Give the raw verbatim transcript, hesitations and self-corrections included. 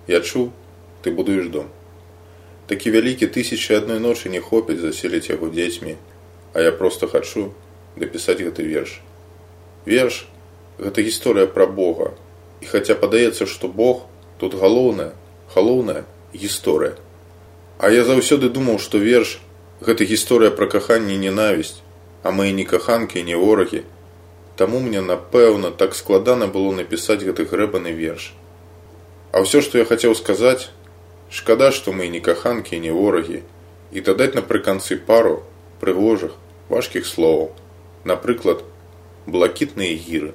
Я чуў, ты будуеш дом. Такі вялікі тысячы адной ночы не хопіць заселіць яго дзецьмі, а я проста хачу дапісаць гэты верш. Верш – гэта гісторыя пра Бога. І хаця падаецца, што Бог тут галоўная, галоўная гісторыя. А я заўсёды думаў, што верш – гэта гісторыя пра каханне і ненавісць, а мы і не каханкі, і не ворагі. Таму мне, напэўна, так складана было напісаць гэты грэбаны верш. А ўсё, што я хацеў сказаць, шкада, што мы і не каханкі, і не ворагі, і дадаць напрыканцы пару прыгожых, важкіх словаў. Напрыклад, блакітныя гіры.